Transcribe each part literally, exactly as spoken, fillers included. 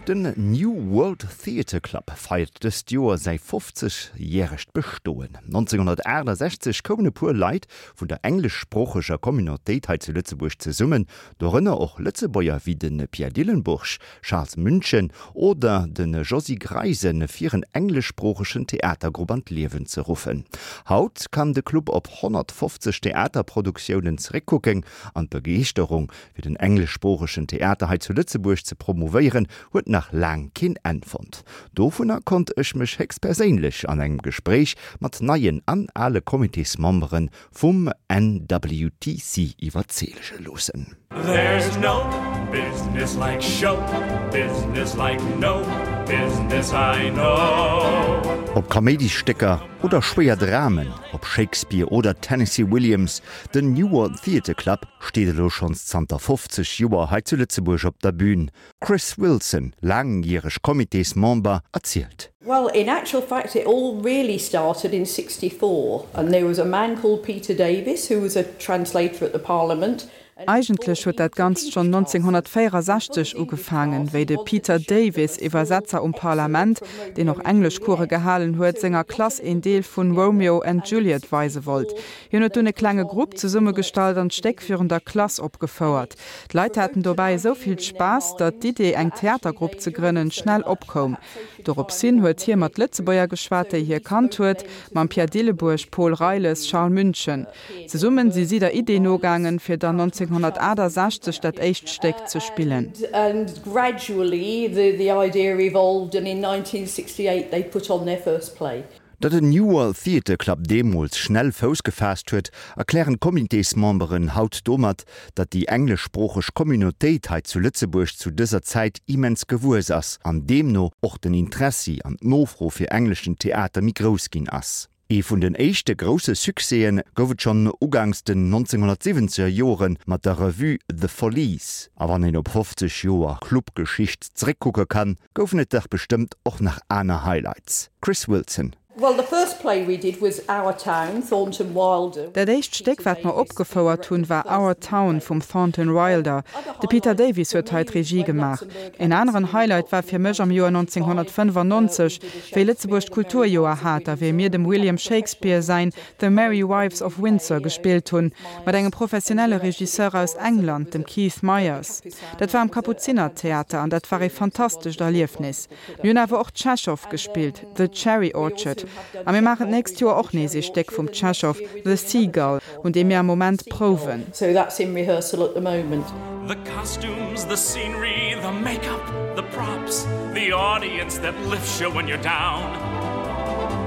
Den New World Theatre Club feiert dëst Joer säi fofzeg järegt Bestoen. nonzénghonnertaachtasechzeg koumen e puer Leit vun der engleschsproocheger Communautéit hei zu Lëtzebuerg zesummen, dorënner och Lëtzebuerger wéi de Pierre Dillenburg, Charles München oder de Josy Greisen, fir en engleschsproochegen Theatergrupp an d'Liewen ze ruffen. Haut kann de Club op honnertfofzeg Theaterproduktiounen zeréckkucken an d'Begeeschterung fir den engleschsproochegen Theater hei zu Lëtzebuerg ze promovéieren, huet nach laang keen Enn fonnt. Dovunner konnt ech mech héchstperséinlech an engem Gespréich mat neien an ale Comitésmembere vum N W T C iwwerzeege loossen. There's no business like show business like no business I know. Ob Kaméidisstécker oder schwéier Dramen, ob Shakespeare oder Tennessee Williams, den New World Theatre Club steet elo schonns zanter fofzeg Joer hei zu Lëtzebuerg op der Bühn. Chris Wilson, laangjäreg Comitésmember, erzielt. Well, in actual fact, it all really started in sixty-four, and there was a man called Peter Davis who was a translator at the Parliament. Eigentlech huet dat Ganzt schonn nonzénghonnertvéierasechzeg ugefaangen, wéi de Peter Davis, Iwwersetzer um Parlament, deen och Engleschcourse gehalen huet, senger Klass een Deel vun Romeo and Juliet weise wollt. Hien huet dunn e klenge Grupp zesummegestallt an d'Stéck virun der Klass opgefouert. D'Leit haten dobäi esou vill Spaass, datt d'Idee eng Theatergrupp ze grënnen schnell opkoum. Doropshin huet hie mat Lëtzebuerger geschwat, déi hie kannt huet, mam Pierre Dillebuerg, Paul Reiles, Charles München. Zesummen si si der Idee nogaangen, fir dann nonzénghonnertaachtasechzeg dat éischt Stéck ze spillen. And gradually the, the idea evolved and in nineteen sixty-eight they put on their first play. Datt den New World Theatre Club deemools schnell Fouss gefaasst huet, erklären d'Comitésmemberen haut domat, datt déi engleschsproocheg Communautéit hei zu Lëtzebuerg zu dëser Zäit immens gewuess ass, an deemno och den Interessi an d'Nofro fir engleschen Theater méi grouss ginn ass. Ee vun den éischte grousse Succèsen gouf et schonn ugangs den nonzénghonnertsiwwenzeger Joren mat der Revue The Follies. A wann een op fofzeg Joer Clubgeschicht zeréckkucke kann, goufen et dach bestëmmt och nach aner Highlights. Chris Wilson. Well, the first play we did was Our Town, Thornton Wilder. Dat éischt Stéck, wat mer opgefouert hunn, war Our Town vum Thornton Wilder. De Peter Davis huet hei d'Regie gemaach. En aneren Highlight war fir mech am Joer nonzénghonnertfënnefannonzeg, wéi Lëtzebuerg d'Kulturjoer hat, a wéi mir dem William Shakespeare säin The Merry Wives of Windsor gespillt hunn, mat engem professionelle Regisseur aus England, dem Keith Myers. Dat war am Kapuzinertheater an dat war e fantastescht Erliefnis. Mir hunn awer och Tschechow gespillt, The Cherry Orchard. A mir maachen d'nächst Joer och nees e Stéck vum Tschechow, The Seagull, un deem mir am Moment prouwen. So that's in rehearsal at the moment. The costumes, the scenery, the makeup, the props, the audience that lifts you when you're down.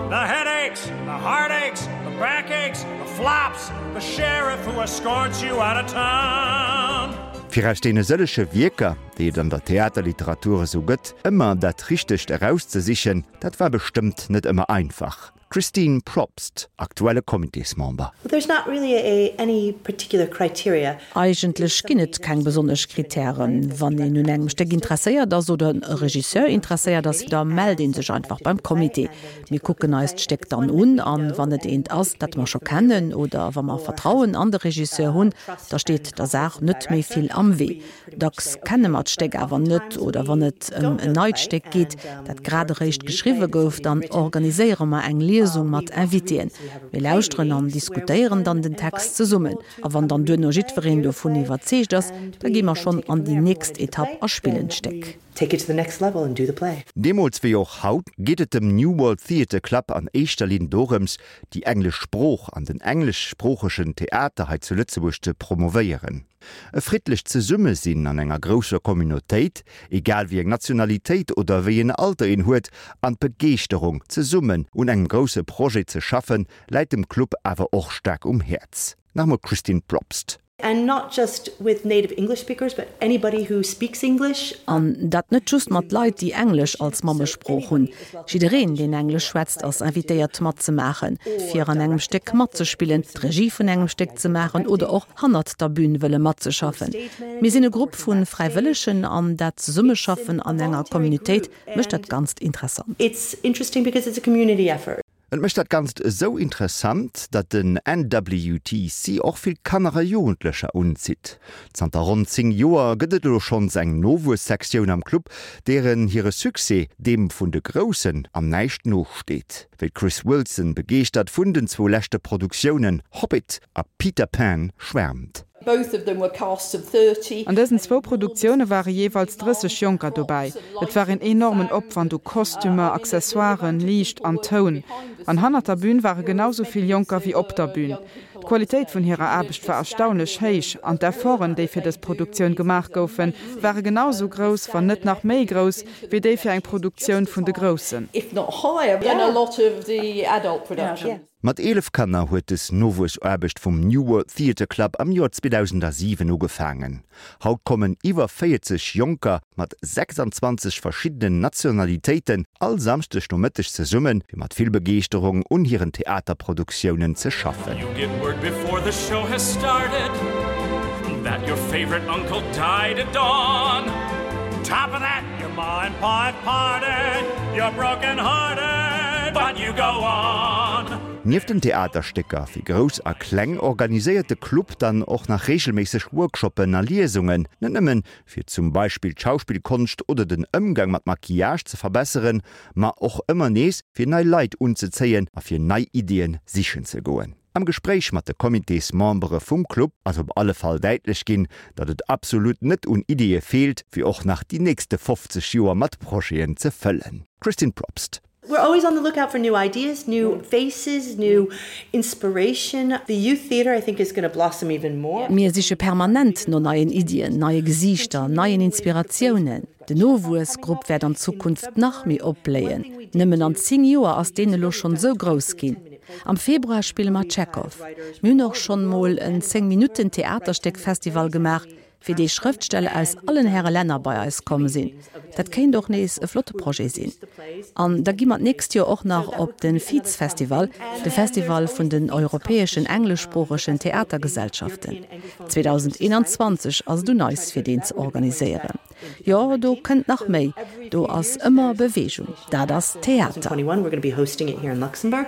The headaches, the heartaches, the backaches, the flops, the sheriff who escorts you out of town. Fir aus deene sëllege Wierker, déi et an der Theaterliteratur esou gëtt, ëmmer dat Richtegt erauszesichen, dat war bestëmmt net ëmmer einfach. Christine Probst, aktuelle Comitésmember. There's not really a, any particular criteria. Eigentlech ginn et keng besonnesch Krittären. Wann een un engem Stéck interesséiert ass oder e Regisseur interesséiert ass, da mellt een sech einfach beim Comité. Mir kucken eis d'Stéck dann un an wann et eent ass, dat mer scho kennen oder wa mer Vertrauen an de Regisseur hunn, da steet der Saach net méi vill am Wee. Dacks kenne mer d'Stéck awer net oder wann et ëm en neit Stéck geet, dat grad eréischt geschriwwe gouf, dann organiséiere mer eng Liesung mat Invitéen. Mir lauschteren an diskutéieren dann den Text zesummen. A wann dann duerno jiddwereen dovun iwwerzeegt ass, da gi mer schonn an déi nächst Etapp a spillen d'Stéck. Take it to the next level and do the play. Deemools wéi och haut geet et dem New World Theatre Club an éischter Linn dorëms, déi englesch Sprooch an den engleschsproochegen Theater hei zu Lëtzebuerg ze promovéieren. E friddlecht Zesummesinn an enger grousser Communautéit, egal wéi eng Nationalitéit oder wéi een Alter een huet, an d'Begeeschterung, zesummen un engem grousse Projet ze schaffen, läit dem Club awer och staark um Häerz. Nach emol Christine Probst. And not just with native English speakers, but anybody who speaks English. An dat net just mat Leit, déi Englesch als Mammesprooch hunn. Jiddereen, deen Englesch schwätzt, ass invitéiert matzemaachen, fir an engem Stéck matzespillen, d'Regie vun engem Stéck ze maachen oder och hannert der Bühn wëlle matzeschaffen. Mir sinn e Grupp vu Fräiwëllegen an dat Zesummeschaffen an enger Communautéit mécht dat Ganzt interessant. It's interesting because it's a community effort. Et mécht dat Ganzt esou interessant, datt den N W T C och vill Kanner a Jugendlecher unzitt. Zanter ronn zéng Joer gëtt et elo schonns eng Nowuessektioun am Club, deeren hire Succès deem vun de Groussen an näischt nosteet. Wéi d'Chris Wilson begeeschtert vun den zwou leschte Produktiounen Hobbit a Peter Pan schwäermt. Both of them were casts of thirty. An dësen zwou Produktioune ware jeeweils drësseg Jonker dobäi. Et war en enormen Opwand u Kostümer, Accessoiren, Liicht an Toun. An hannert der Bün ware genau sou vill Jonker wéi op der Bün. D'Qualitéit vun hirer Aarbecht war erstaunlech héich an d'Efforten, déi fir dës Produktioun gemaach goufen, ware genau sou grouss, wann net nach méi grouss, wéi déi fir eng Produktioun vun de Groussen. If not higher than a lot of the adult productions. Mat eelef Kanner huet dës Nowuessaarbecht vum New World Theatre Club am Joer zweedausendasiwen ugefaangen. Haut kommen iwwer véierzeg Jonker mat sechsanzwanzeg verschiddenen Nationalitéiten all Samschdeg Nomëtteg zesummen, fir mat vill Begeeschterung un hiren Theaterproduktiounen ze schaffen. You get word before the show has started that your favorite uncle died at dawn. Top of that, your ma and pa have parted, you're broken hearted, but you go on. Nieft den Theaterstécker fir Grouss a Kleng organiséiert de Club dann och nach reegelméisseg Workshoppen a Liesungen, net nëmmen fir zum Beispill d'Schauspillkonscht oder den Ëmgang mat Maquillage ze verbesseren, ma och ëmmer nees fir nei Leit unzezéien a fir nei Iddien sichen ze goen. Am Gespréich mat de Comitésmembere vum Club ass op alle Fall däitlech ginn, datt et absolut net un Iddie feelt, fir och nach déi nächste fofzeg Joer mat Projeten ze fëllen. Christine Probst. We're always on the lookout for new ideas, new faces, new inspiration. The youth theater, I think, is going to blossom even more. Mir siche permanent no neien Iddien, neie Gesiichter, neien Inspiratiounen. Den Nowuessgrupp wäert an Zukunft nach méi opbléien. Nëmmen an zéng Joer ass deen elo schonn sou grouss ginn. Am Februar spille mer Tschechow. Mir hunn och schonn mol en zéng Minutten Theaterstéckfestival gemaach, fir dee Schrëftsteller aus allen Häre Länner bei eis komm sinn. Dat kéint och nees e flotte Projet sinn. An da gi mer d'nächst Joer och nach op de FEATS Festival, de Festival vun den europäeschen engleschsproochegen Theatergesellschaften. zweedausendeenanzwanzeg ass et un eis fir deen ze organiséieren. Jo, do kënnt nach méi. Do ass ëmmer Beweegung. Dat ass Theater. twenty-one, we're going to be hosting it here in Luxembourg.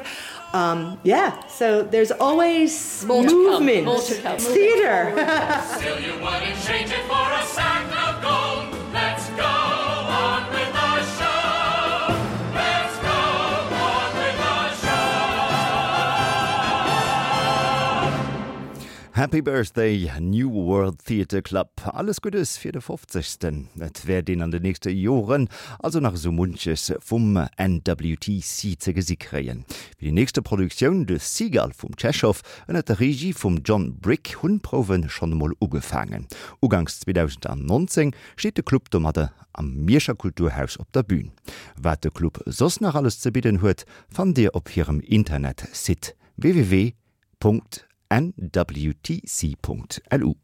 Um, yeah, so there's always More to come, movement. more to come. It's theater. Still you wouldn't change it for a sack of gold. Let's go on with the show. Let's go on with the show. Happy Birthday New World Theatre Club. Alles Guddes fir de fofzegsten. Et wäert een an den nächste Joren also nach esou munches vum N W T C ze gesi kréien. Fir déi nächste Produktioun The Seagull vum Tschechow ënner der Regie vum John Brick hunn d'Prouwe schonn emol ugefaangen. Uganks zweedausendnonzéng steet de Club domadder am Mierscher Kulturhaus op der Bün. Wat de Club soss nach alles ze bidden huet, fannt Dir op hirem Internetsite W W W Punkt N W T C Punkt L U.